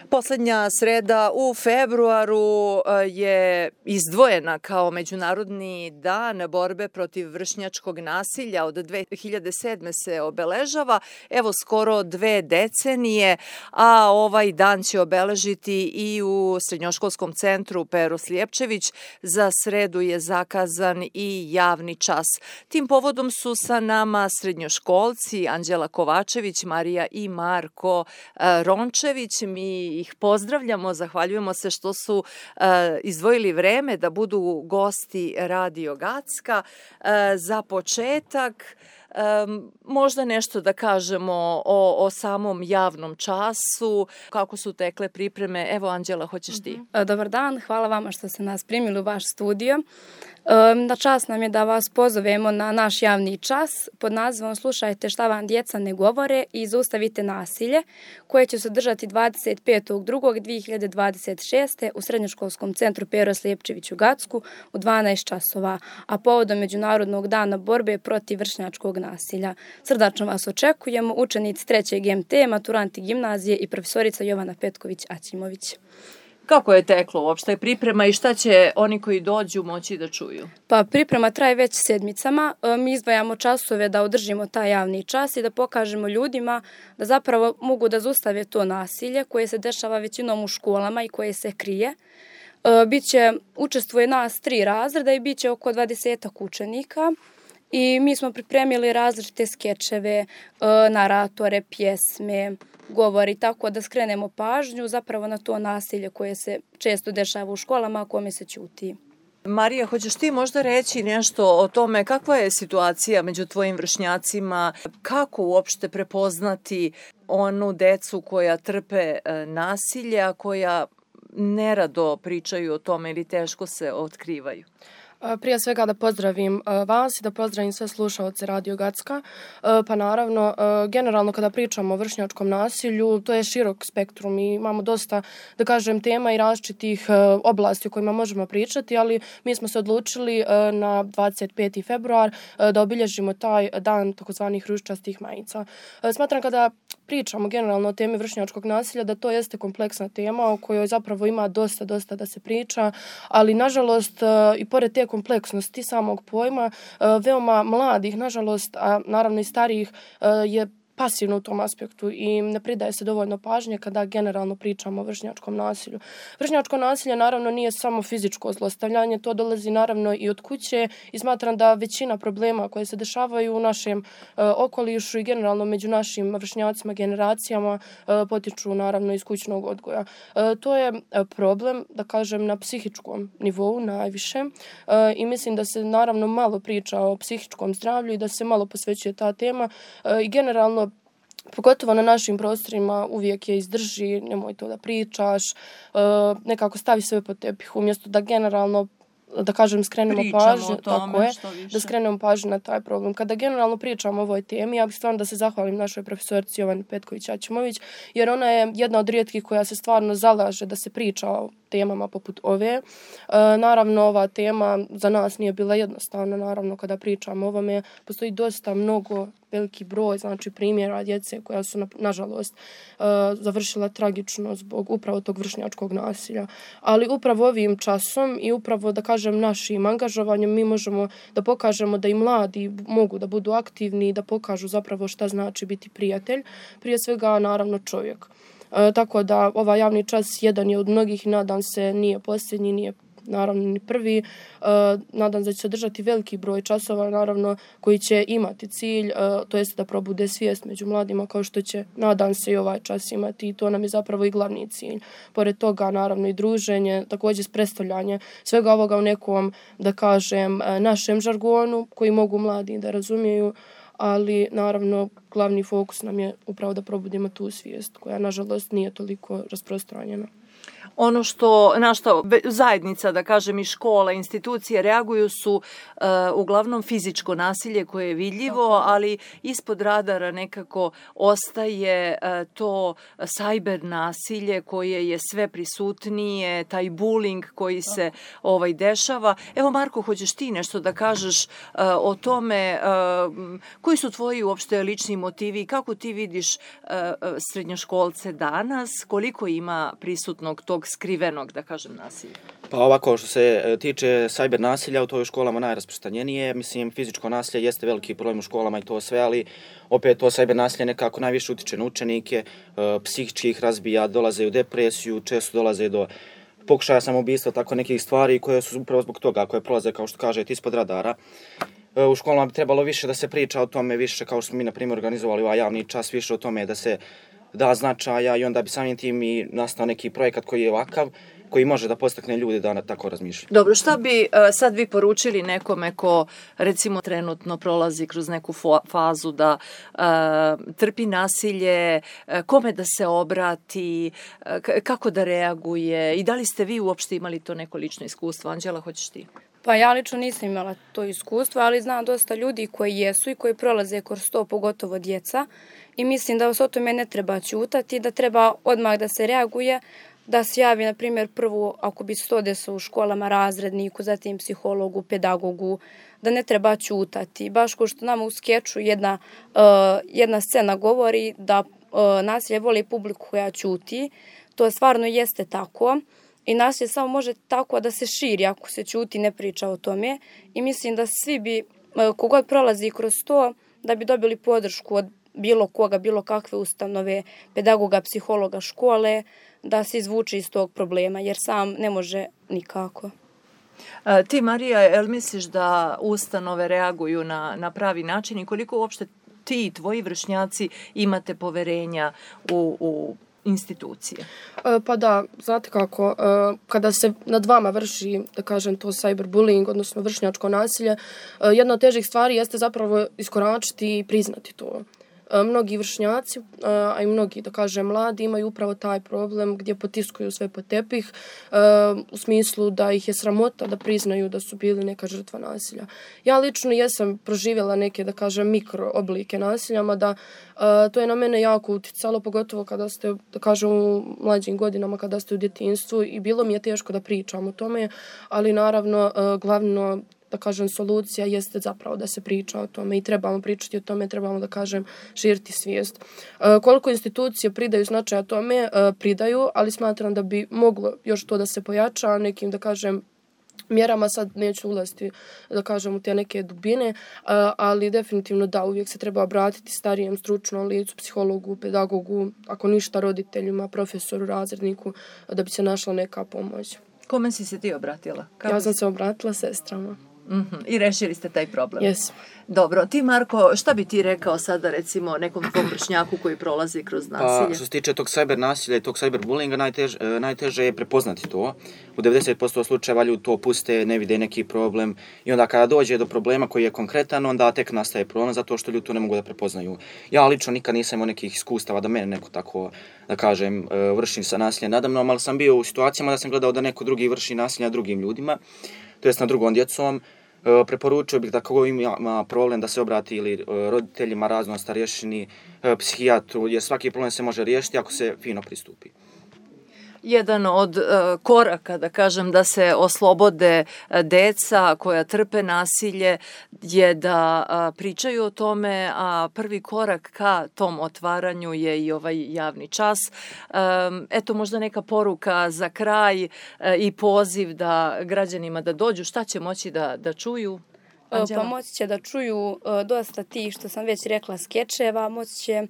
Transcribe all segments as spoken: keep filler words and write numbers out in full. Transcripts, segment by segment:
Poslednja sreda u februaru je izdvojena kao Međunarodni dan borbe protiv vršnjačkog nasilja. Od dve hiljade sedme. se obeležava, evo skoro dve decenije, a ovaj dan će obeležiti i u Srednjoškolskom centru Pero Slijepčević. Za sredu je zakazan i javni čas. Tim povodom su sa nama srednjoškolci Anđela Kovačević, Marija i Marko Rončević. Mi ih pozdravljamo, zahvaljujemo se što su uh, izdvojili vreme da budu gosti Radio Gacka. Uh, za početak, um, možda nešto da kažemo o, o samom javnom času, kako su tekle pripreme. Evo, Anđela, hoćeš ti? Dobar dan, hvala vama što ste nas primili u vaš studio. Na čast nam je da vas pozovemo na naš javni čas pod nazivom Slušajte šta vam djeca ne govore i zaustavite nasilje, koje će se održati dvadeset petog drugog dve hiljade dvadeset šeste. u Srednjoškolskom centru Pero Slijepčević u Gacku u dvanaest časova, a povodom Međunarodnog dana borbe protiv vršnjačkog nasilja. Srdačno vas očekujemo, učenici trećeg em te, maturanti gimnazije i profesorica Jovana Petković-Aćimović. Kako je teklo uopšte priprema i šta će oni koji dođu moći da čuju? Pa priprema traje već sedmicama. Mi izdvajamo časove da održimo taj javni čas i da pokažemo ljudima da zapravo mogu da zaustave to nasilje koje se dešava većinom u školama i koje se krije. Biće, učestvuje nas tri razreda i bit će oko dvadesetak učenika. I mi smo pripremili različite skečeve, naratore, pjesme, govori, tako da skrenemo pažnju zapravo na to nasilje koje se često dešava u školama, a kome se ćuti. Marija, hoćeš ti možda reći nešto o tome kakva je situacija među tvojim vršnjacima, kako uopšte prepoznati onu decu koja trpe nasilje, a koja nerado pričaju o tome ili teško se otkrivaju? Prije svega da pozdravim vas i da pozdravim sve slušaoce Radio Gacka. Pa naravno, generalno kada pričamo o vršnjačkom nasilju, to je širok spektrum i imamo dosta, da kažem, tema i različitih oblasti o kojima možemo pričati, ali mi smo se odlučili na dvadeset peti februar da obilježimo taj dan takozvanih ružičastih majica. Smatram kada pričamo generalno o temi vršnjačkog nasilja da to jeste kompleksna tema o kojoj zapravo ima dosta, dosta da se priča, ali nažalost i pored te kompleksnosti samog pojma, veoma mladih, nažalost, a naravno i starijih, je pasivno u tom aspektu i ne pridaje se dovoljno pažnje kada generalno pričamo o vršnjačkom nasilju. Vršnjačko nasilje naravno nije samo fizičko zlostavljanje, to dolazi naravno i od kuće i smatram da većina problema koje se dešavaju u našem uh, okolišu i generalno među našim vršnjacima, generacijama uh, potiču naravno iz kućnog odgoja. Uh, to je uh, problem, da kažem, na psihičkom nivou najviše uh, i mislim da se naravno malo priča o psihičkom zdravlju i da se malo posvećuje ta tema uh, i generalno pogotovo na našim prostorima uvijek je izdrži, nemoj to da pričaš, nekako stavi sve pod tepih umjesto da generalno, da kažem, skrenemo pričamo pažnju, tome, tako je, više. da skrenemo pažnju na taj problem. Kada generalno pričamo o ovoj temi, ja bih stvarno da se zahvalim našoj profesorici Jovani Petković-Aćimović, jer ona je jedna od rijetkih koja se stvarno zalaže da se priča o temama poput ove. E, naravno, ova tema za nas nije bila jednostavna, naravno, kada pričamo o ovome, postoji dosta mnogo veliki broj, znači, primjera djece koja su, na, nažalost, uh, završila tragično zbog upravo tog vršnjačkog nasilja. Ali upravo ovim časom i upravo, da kažem, našim angažovanjem mi možemo da pokažemo da i mladi mogu da budu aktivni i da pokažu zapravo šta znači biti prijatelj. Prije svega, naravno, čovjek. Uh, tako da ovaj javni čas jedan je od mnogih i nadam se nije posljednji, nije naravno ni prvi. Uh, nadam se da će se održati veliki broj časova, naravno, koji će imati cilj, uh, to jest da probude svijest među mladima, kao što će, nadam se, i ovaj čas imati. I to nam je zapravo i glavni cilj. Pored toga, naravno, i druženje, također predstavljanje svega ovoga u nekom, da kažem, našem žargonu, koji mogu mladi da razumiju, ali, naravno, glavni fokus nam je upravo da probudimo tu svijest, koja, nažalost, nije toliko rasprostranjena. Ono što, na što zajednica, da kažem, i škola, institucije reaguju su uh, uglavnom fizičko nasilje koje je vidljivo, ali ispod radara nekako ostaje uh, to sajber nasilje koje je sve prisutnije, taj bullying koji se ovaj dešava. Evo, Marko, hoćeš ti nešto da kažeš uh, o tome uh, koji su tvoji uopšte lični motivi, kako ti vidiš uh, srednjoškolce danas, koliko ima prisutnog tog skrivenog, da kažem, nasilja? Pa ovako, što se tiče cyber nasilja, u toj školama najrasprostranjenije. Mislim, fizičko nasilje jeste veliki problem u školama i to sve, ali opet to cyber nasilje nekako najviše utiče na učenike, psihički ih razbija, dolaze u depresiju, često dolaze do pokušaja samoubistva, tako nekih stvari koje su upravo zbog toga, koje prolaze, kao što kažete, ispod radara. U školama bi trebalo više da se priča o tome, više kao što smo mi, na primjer, organizovali ovaj javni čas, više o tome da se da značaja i onda bi samim tim i nastao neki projekat koji je ovakav, koji može da postakne ljude da tako razmišljaju. Dobro, šta bi sad vi poručili nekome ko recimo trenutno prolazi kroz neku fazu da uh, trpi nasilje, kome da se obrati, kako da reaguje i da li ste vi uopšte imali to neko lično iskustvo? Anđela, hoćeš ti? Pa ja lično nisam imala to iskustvo, ali znam dosta ljudi koji jesu i koji prolaze kroz to, pogotovo djeca. I mislim da se o tome ne treba ćutati, da treba odmah da se reaguje, da se javi, na primjer, prvo, ako bi se to desilo u školama, razredniku, zatim psihologu, pedagogu, da ne treba ćutati. Baš kao što nama u skeču jedna, uh, jedna scena govori da uh, nasilje voli publiku koja ćuti. To stvarno jeste tako. I nasilje samo može tako da se širi ako se ćuti, ne priča o tome. I mislim da svi bi, kogod prolazi kroz to, da bi dobili podršku od bilo koga, bilo kakve ustanove, pedagoga, psihologa, škole, da se izvuče iz tog problema, jer sam ne može nikako. A, ti, Marija, jel misliš da ustanove reaguju na, na pravi način i koliko uopšte ti i tvoji vršnjaci imate poverenja u, u institucije? Pa da, znate kako, kada se nad vama vrši, da kažem, to cyberbullying, odnosno vršnjačko nasilje, jedna od težih stvari jeste zapravo iskoračiti i priznati to. Mnogi vršnjaci, a i mnogi, da kažem, mladi imaju upravo taj problem gdje potiskuju sve pod tepih u smislu da ih je sramota da priznaju da su bili neka žrtva nasilja. Ja lično jesam proživjela neke, da kažem, mikro oblike nasilja, mada to je na mene jako uticalo, pogotovo kada ste, da kažem, u mlađim godinama, kada ste u djetinjstvu i bilo mi je teško da pričam o tome, ali naravno glavno, da kažem, solucija jeste zapravo da se priča o tome i trebamo pričati o tome, trebamo, da kažem, širiti svijest. E, koliko institucije pridaju značaja tome, e, pridaju, ali smatram da bi moglo još to da se pojača nekim, da kažem, mjerama. Sad neću ulaziti, da kažem, u te neke dubine, ali definitivno da, uvijek se treba obratiti starijem stručnom licu, psihologu, pedagogu, ako ništa roditeljima, profesoru, razredniku, da bi se našla neka pomoć. Kome si se ti obratila? Kako ja sam si... se obratila sestrama. Mm-hmm. I rešili ste taj problem? Jesam. Dobro, ti, Marko, šta bi ti rekao sada, recimo, nekom tvom vršnjaku koji prolazi kroz nasilje? Pa, što se tiče tog cyber nasilja i tog cyber bullyinga, najtež, najteže je prepoznati to. U devedeset posto slučajeva ljudi to puste, ne vide neki problem i onda kada dođe do problema koji je konkretan, onda tek nastaje problem zato što ljudi to ne mogu da prepoznaju. Ja lično nikad nisam imao nekih iskustava da mene neko tako, da kažem, vrši sa nasiljem nadamnom, ali sam bio u situacijama da sam gledao da neko drugi vrši nasilje nad drugim ljudima, to jest nad drugom djecom. Preporučio bih da kogo ima problem da se obrati ili roditeljima, razno starješini, psihijatru, jer svaki problem se može riješiti ako se fino pristupi. Jedan od uh, koraka, da kažem, da se oslobode uh, deca koja trpe nasilje je da uh, pričaju o tome, a prvi korak ka tom otvaranju je i ovaj javni čas. Um, eto, možda neka poruka za kraj uh, i poziv da građanima da dođu. Šta će moći da, da čuju? Anđela? Pa moći će da čuju uh, dosta tih, što sam već rekla, skečeva, moći će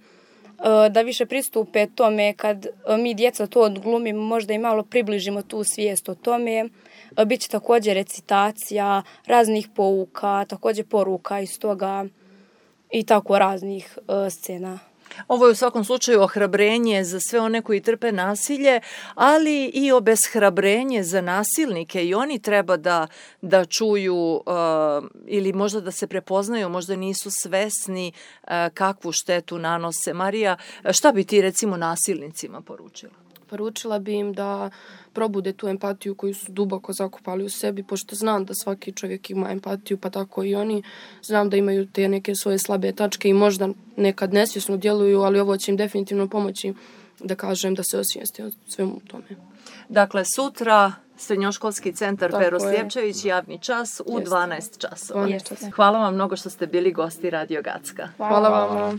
da više pristupe tome kad mi djeca to odglumimo, možda i malo približimo tu svijest o tome. Biće također recitacija, raznih pouka, također poruka iz toga i tako raznih uh, scena. Ovo je u svakom slučaju ohrabrenje za sve one koji trpe nasilje, ali i obeshrabrenje za nasilnike i oni treba da, da čuju uh, ili možda da se prepoznaju, možda nisu svesni uh, kakvu štetu nanose. Marija, šta bi ti recimo nasilnicima poručila? Poručila bi im da probude tu empatiju koju su duboko zakopali u sebi, pošto znam da svaki čovjek ima empatiju, pa tako i oni. Znam da imaju te neke svoje slabe tačke i možda nekad nesvjesno djeluju, ali ovo će im definitivno pomoći da kažem da se osvijeste o svemu tome. Dakle, sutra Srednjoškolski centar Tako Pero je. Sljepčević, javni čas u Jeste. dvanaest časova. dvanaest časova. Hvala vam mnogo što ste bili gosti Radio Gacka. Hvala vama.